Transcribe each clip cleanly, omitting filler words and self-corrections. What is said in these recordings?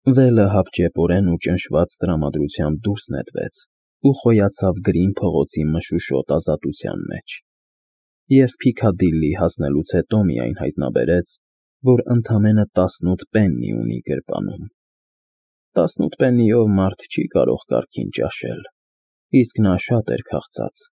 Վելը հապճեպորեն ու ճնշված տրամադրությամբ դուրս նետվեց ու խոյացավ գրին փողոցի մշուշոտ ազատության մեջ, և Փիքադիլլի հասնելուց հետո միայն հայտնաբերեց, որ ընդամենը 18 պեննի ունի գրպանում։ 18 պեննիով մարդ չի կարող կարգին ճաշել, իսկ նա շատ էր քաղցած։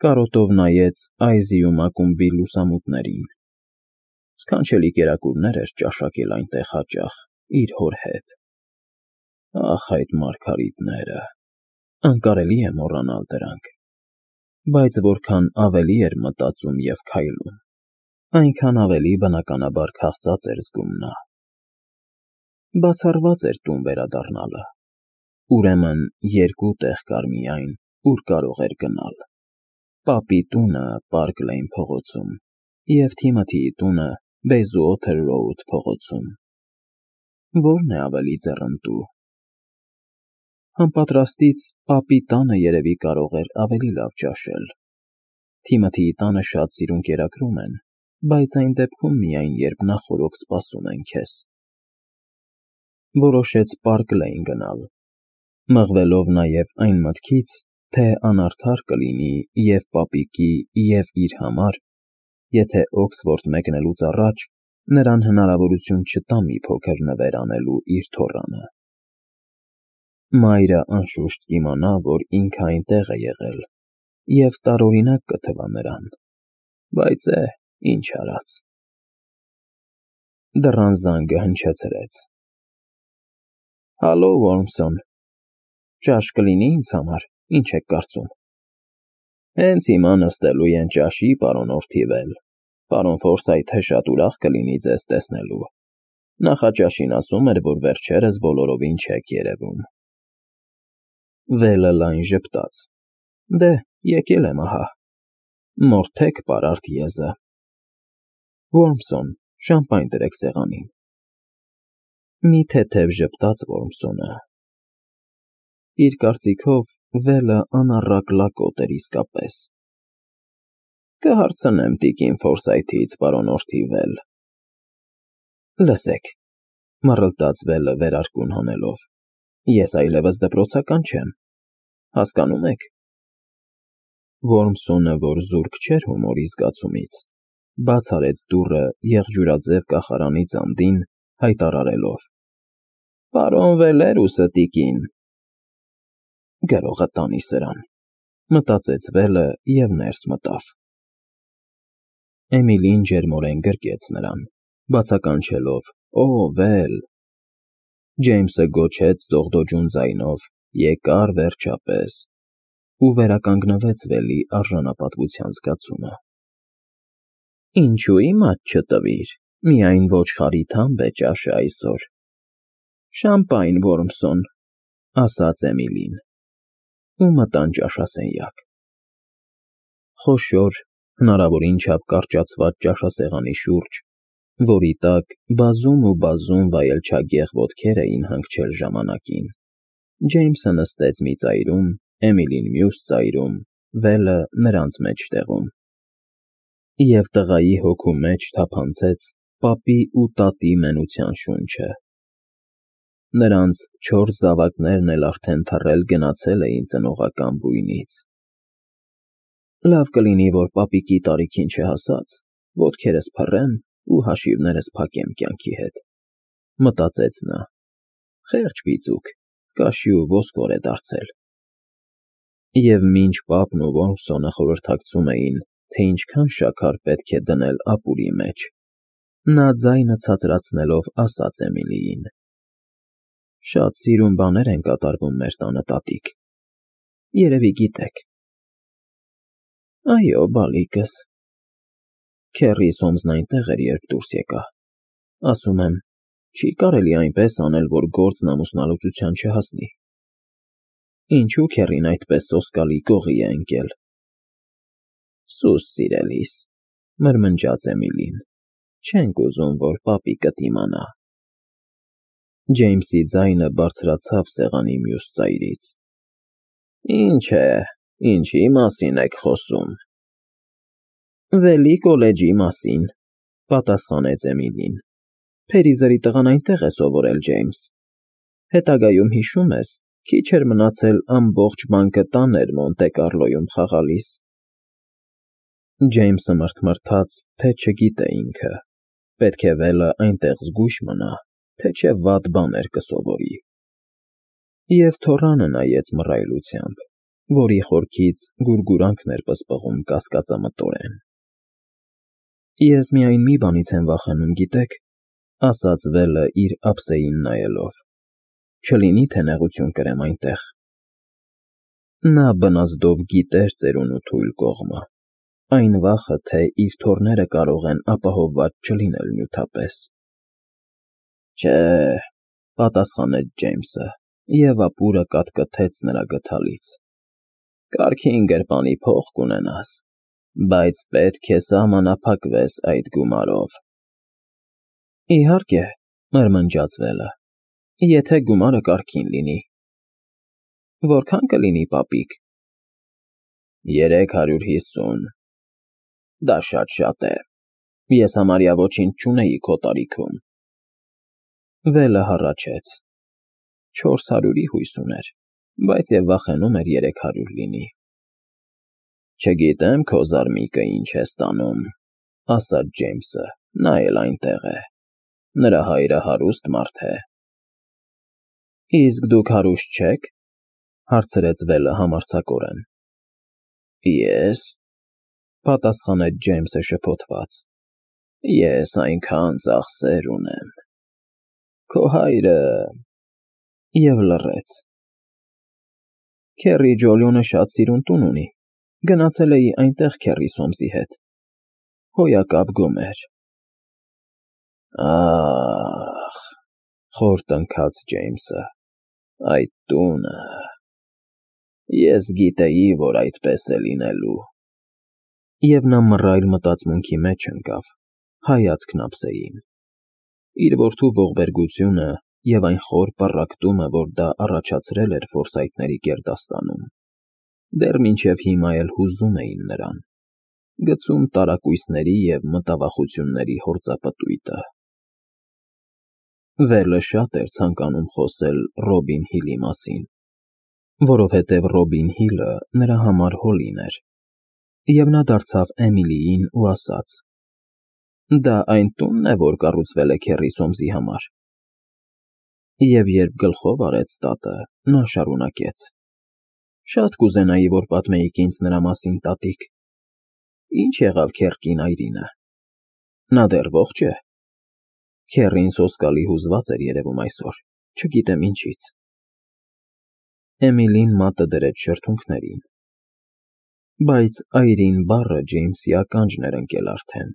Կարոտով նայեց Այզի ու Մակումբի լուսամուտներին։ Սքանչելի կերակուրներ էր ճաշակել այնտեղ հաճախ, իր հոր հետ։ Ախ, այդ մարգարիտները… Անկարելի է մոռանալ դրանք։ Բայց որքան ավելի էր մտածում և քայլում, այնքան ավելի բնականաբար քաղցած էր զգում նա։ Բացառված էր տուն վերադառնալը, ուրեմն երկու տեղ կար միայն, ուր կարող էր գնալ. պապի տունը Պարկ Լեյն փողոցում և Թիմոթիի տունը Բեյզուոթեր Ռոուդ փողոցում։ Ո՞րն է ավելի ձեռնտու։ Անպատրաստից պապի տանը երևի կարող էր ավելի լավ ճաշել։ Թիմոթիի տանը շատ սիրուն կերակրում են, բայց այն դեպքում միայն, երբ նախօրոք սպասում են քեզ։ Որոշեց Պարկ Լեյն գնալ, մղվելով նաև այն մտքից, թե անարդար կլինի և պապիկի, և իր համար, եթե Օքսֆորդ մեկնելուց առաջ նրան հնարավորություն չտա մի փոքր նվեր անելու իր թոռանը։ Մայրը անշուշտ կիմանա, որ ինքը այնտեղ է եղել, և տարօրինակ կթվա նրան, բայց ինչ արած։ Դռան զանգը հնչեցրեց։ Հալո, Ոռմսոն, ճաշ կլինի ինձ համար, ինչ եք կարծում։ Հենց հիմա նստելու են ճաշի, պարոն Օրթիվել, պարոն Ֆորսայթը շատ ուրախ կլինի ձեզ տեսնելու, նախաճաշին ասում էր, որ վերջերս բոլորովին չեք երևում։ Վելը լայն ժպտաց. Դե, եկել եմ ահա, մորթեք պարարտ եզը։ Ոռմսոն, շամպայն դրեք սեղանին։ Մի թեթև ժպտաց Ոռմսոնը։ Իր կարծիքով Վելը անառակ լակոտ էր իսկապես։ Կհարցնեմ տիկին Ֆորսայթից, պարոն Օրթիվել։ Լսեք, մռլտաց Վելը վերարկուն հանելով, ես այլևս դպրոցական չեմ, հասկանում եք։ Ոռմսոնը, որ զուրկ չէր հումորի զգացումից, բաց արեց դուռը եղջյուրաձև կախարանի ծանդին, հայտարարելով. Պարոն Վելերուսը, տիկին։ Գրողը տանի սրան, մտածեց Վելը և ներս մտավ։ Էմիլին ջերմորեն գրկեց նրան, բացականչելով. Օ, Վել… Ջեյմսը գոչեց դողդոջուն ձայնով. Եկար վերջապես… ու վերականգնվեց Վելի արժանապատվության զգացումը։ Ինչու իմաց չտվիր, միայն ոչխարի թամբ է ճաշը այսօր։ Շամպայն, Ոռմսոն, ասաց Էմիլին, ու մտան ճաշասենյակ։ Խոշոր, հնարավորին չափ կարճացված ճաշասեղանի շուրջ, որի տակ բազում ու բազում վայելչագեղ ոտքեր էին հանգչել ժամանակին, Ջեյմսը նստեց մի ծայրում, Էմիլին մյուս ծայրում, Վելը նրանց մեջտեղում։ Եվ տղայի հոգու մեջ թափանցեց պապի ու տատի մենության շունչը։ Նրանց 4 զավակներն էլ արդեն թռել գնացել էին ծնողական բույնից։ Լավ կլինի, որ պապիկի տարիքին չհասած, ոտքերս փռեմ ու հաշիվներս փակեմ կյանքի հետ, մտածեց նա։ Խեղճ բիծուկ, կաշի ու ոսկոր է դարձել։ Եվ մինչ պապն ու Ոռմսոնը խորհրդակցում էին, թե ինչքան շաքար պետք է դնել ապուրի մեջ, նա ձայնը ցածրացնելով ասաց Էմիլիին. Շատ սիրուն բաներ են կատարվում մեր տանը, տատիկ, երևի գիտեք։ Այո, բալիկս։ Քեռիս հոմզն այնտեղ էր, երբ դուրս եկա։ Ասում եմ, չի կարելի այնպես անել, որ գործն ամուսնալուծության չհասնի։ Ինչու քեռին այդպես սոսկալի գողի է ընկել։ Սուս սիրելիս, մրմնջաց Էմիլին, չենք ուզում, որ պապիկդ իմանա։ Ջեյմսի ձայնը բարձրացավ սեղանի մյուս ծայրից։ Ինչ է, ինչի մասին եք խոսում։ Վելի կոլեջի մասին, պատասխանեց Էմիլին, Փերիզերի տղան այնտեղ է սովորել, Ջեյմս։ Հետագայում հիշում ես, քիչ էր մնացել ամբողջ բանկը տաներ Մոնտե Կարլոյում խաղալիս։ Ջեյմսը մռթմռթաց, թե չգիտե ինքը. պետք է Վելը այնտեղ զգույշ մնա, թե չէ վատ բաներ կսովորի։ Եվ թոռանը նայեց մռայլությամբ, որի խորքից գուրգուրանքներ պսպղում կասկածամտորեն։ Ես միայն մի բանից եմ վախենում, գիտեք, ասաց Վելը իր ափսեին նայելով. չլինի թե նեղություն կրեմ այնտեղ։ Նա բնազդով գիտեր ծերունու թույլ կողմը, այն վախը, թե իր թոռները կարող են ապահովված չլինել նյութապես։ Չէ, պատասխանեց Ջեյմսը, և ապուրը կատկթեց նրա գդալից։ Կարգին գրպանի փող կունենաս, բայց պետք է սահմանափակվես այդ գումարով։ Իհարկե, մրմնջաց Վելը, եթե գումարը կարգին լինի։ Որքան կլինի, պապիկ։ 350։ Դա շատ է։ Ես համարյա ոչինչ չունեի քո տարիքում։ Վելը հառաչեց։ 400-ի հույս ուներ, բայց և վախենում էր 300 լինի։ Չգիտեմ քո զարմիկը ինչ է ստանում, ասաց Ջեյմսը, նա էլ այնտեղ է։ Նրա հայրը հարուստ մարդ է։ Իսկ դուք հարուստ չե՞ք, հարցրեց Վելը համարձակորեն։ Ես, պատասխանեց Ջեյմսը շփոթված, ես այնքան ծախսեր ունեմ։ Քո հայրը… Եվ լռեց։ Քեռի Ջոլիոնը շատ սիրուն տուն ունի, գնացել էի այնտեղ քեռի Սոմսի հետ։ Հոյակապ գոմեր։ Ախ, խոր տնքաց Ջեյմսը, այդ տունը… Ես գիտեի, որ այդպես է լինելու։ Եվ նա մռայլ մտածմունքի մեջ ընկավ, հայացքն ափսեին։ Իր որդու ողբերգությունը և այն խոր պառակտումը, որ դա առաջացրել էր Ֆորսայթների գերդաստանում, դեռ մինչև հիմա էլ հուզում էին նրան, գցում տարակույսների և մտավախությունների հորձապտույտը։ Վելը շատ էր ցանկանում խոսել Ռոբին Հիլի մասին, որովհետև Ռոբին Հիլը նրա համար Հոլին էր, և նա դարձավ Էմիլիին ու ասաց. Դա այն տունն է, որ կառուցվել է քեռի Սոմսի համար։ Եվ երբ գլխով արեց տատը, նա շարունակեց. Շատ կուզենայի, որ պատմեիք ինձ նրա մասին, տատիկ։ Ինչ եղավ քեռ կին Այրինը։ Նա դեռ ողջ է։ Քեռին սոսկալի հուզված էր երևում այսօր, չգիտեմ ինչից։ Էմիլին մատը դրեց շրթունքներին։ Բայց Այրին բառը Ջեյմսի ականջն էր ընկել արդեն։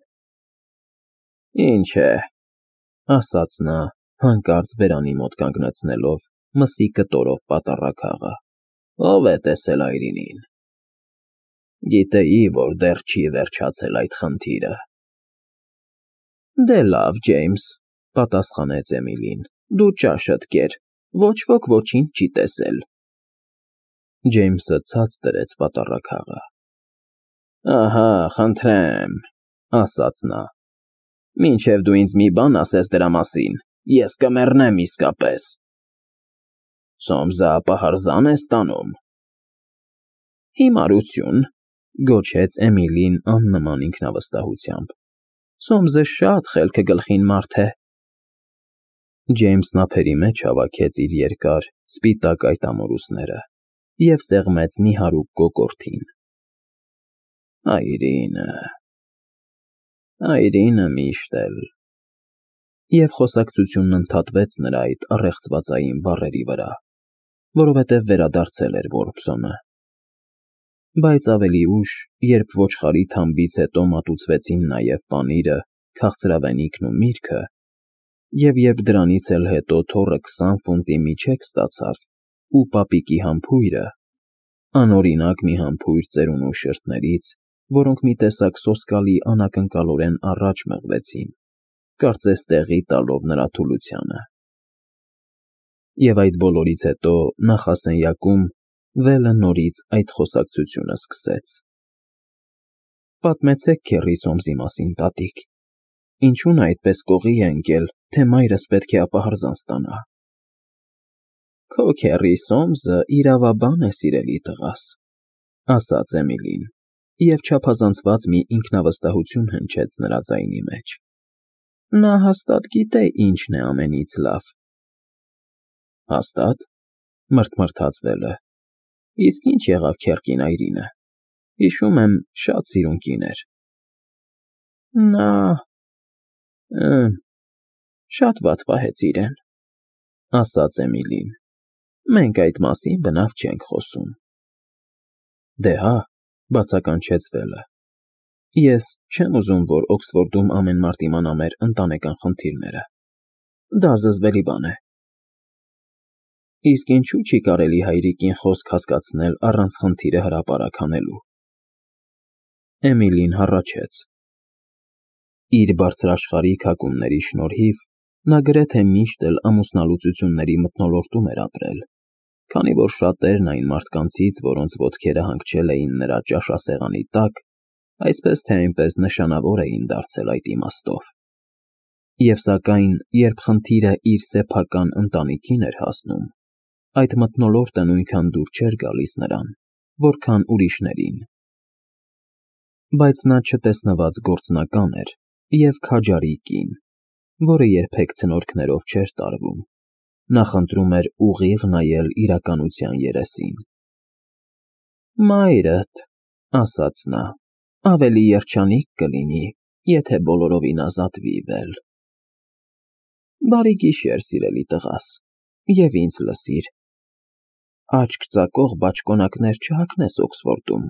Ինչ է, ասաց նա, հանկարծ բերանի մոտ կանգնեցնելով մսի կտորով պատառաքաղը։ Ո՞վ է տեսել Այրինին։ Գիտեի, որ դեռ չի վերջացել այդ խնդիրը։ Դե լավ, Ջեյմս, պատասխանեց Էմիլին, դու ճաշդ կեր, ոչ ոք ոչինչ չի տեսել։ Ջեյմսը ցած դրեց պատառաքաղը։ Ահա, խնդրեմ, ասաց նա։ Մինչև դու ինձ մի բան ասես դրա մասին, ես կմեռնեմ իսկապես։ Սոմսը ապահարզան է ստանում։ Հիմարություն, գոչեց Էմիլին աննման ինքնավստահությամբ։ Սոմսը շատ խելքը գլխին մարդ է։ Ջեյմսն ափերի մեջ հավաքեց իր երկար, սպիտակ այտամորուսները և սեղմեց նիհարուկ կոկորդին։ Այրինը միշտ էլ… Եվ խոսակցությունն ընդհատվեց նրա այդ առեղծվածային բառերի վրա, որովհետև վերադարձել էր Որբսոնը։ Բայց ավելի ուշ, երբ ոչխարի թամբից հետո մատուցվեցին նաև պանիրը, քաղցրավենիքն ու միրգը, և երբ դրանից էլ հետո թոռը 20 ֆունտի միջեկ ստացավ ու պապիկի համբույրը, անօրինակ մի համբույր ծերունու շրթներից, որոնք մի տեսակ սոսկալի անակնկալորեն առաջ մղվեցին, կարծես տեղի տալով նրա թուլությանը։ Եվ այդ բոլորից հետո նախասենյակում Վելը նորից այդ խոսակցությունը սկսեց։ Պատմեցեք քեռի Սոմսի մասին, տատիկ։ Ինչու նա այդպես կողի է ընկել թե մայրս պետք է ապահարզան ստանա։ Քո քեռի Սոմսը իրավաբան է, սիրելի տղաս, ասաց Էմիլին, և չափազանցված մի ինքնավստահություն հնչեց նրա ձայնի մեջ։ Նա հաստատ գիտե ինչն է ամենից լավ։ Հաստատ, մրթմրթաց Վելը, իսկ ինչ եղավ քեռ կինայրինը։ Հիշում եմ, շատ սիրուն կին էր։ Նա… շատ վատ պահեց իրեն, ասաց Էմիլին։ Մենք այդ մասին բնավ չենք խոսում։ Դե հա, բացականչեց Վելը։ Ես չեմ ուզում, որ Օքսֆորդում ամեն մարդ իմանա մեր ընտանեկան խնդիրները։ Դա զզվելի բան է։ Իսկ ինչու՞ չի կարելի հայրիկին խոսք հասկացնել առանց խնդիրը հրապարակ անելու։ Էմիլին հառաչեց։ Իր բարձրաշխարհիկ հակումների շնորհիվ նա գրեթե միշտ էլ ամուսնալուծությունների մթնոլորտում էր ապրել, քանի որ շատերն այն մարդկանցից, որոնց ոտքերը հանգչել էին նրա ճաշասեղանի տակ, այսպես թե այնպես նշանավոր էին դարձել այդ իմաստով։ Եվ սակայն, երբ խնդիրը իր սեփական ընտանիքին էր հասնում, այդ մթնոլորտը նույնքան դուր չէր գալիս նրան, որքան ուրիշներին։ Բայց նա չտեսնված գործնական էր և քաջարի կին, որը երբեք ցնորքներով չէր տարվում, նախընտրում էր ուղիղ նայել իրականության երեսին։ Մայրդ, ասաց նա, ավելի երջանիկ կլինի, եթե բոլորովին ազատվի Վել։ Բարի գիշեր, սիրելի տղաս, և ինձ լսիր։ Աչք ծակող բաճկոնակներ չհագնես Օքսֆորդում,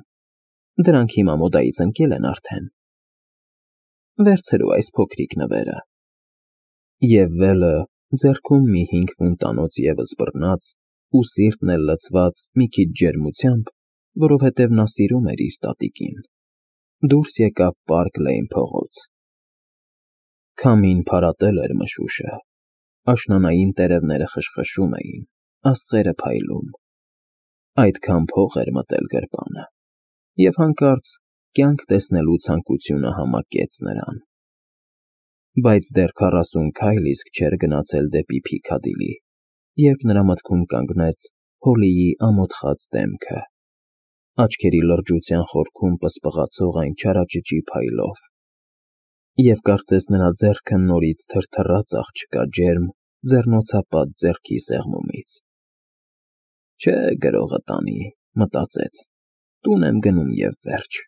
դրանք հիմա մոդայից ընկել են արդեն։ Վերցրու այս փոքրիկ նվերը։ Եվ Վելը ձեռքում մի 5 ֆունտանոց ևս բռնած ու սիրտն էլ լցված մի քիչ ջերմությամբ, որովհետև նա սիրում էր իր տատիկին, դուրս եկավ Պարկ Լեյն փողոց։ Քամին փարատել էր մշուշը, աշնանային տերևները խշխշում էին, աստղերը փայլում։ Այդքան փող էր մտել գրպանը, և հանկարծ կյանք տեսնելու ցանկությունը համակեց նրան։ Բայց դեռ 40 քայլ իսկ չէր գնացել դեպի Փիքադիլի, երբ նրա մտքում կանգնեց Հոլիի ամոթխած դեմքը, աչքերի լրջության խորքում պսպղացող այն չարաճճի փայլով, և կարծես նրա ձեռքը նորից թրթռաց աղջկա ջերմ, ձեռնոցապատ ձեռքի սեղմումից։ Չէ, գրողը տանի, մտածեց, տուն եմ գնում և վերջ։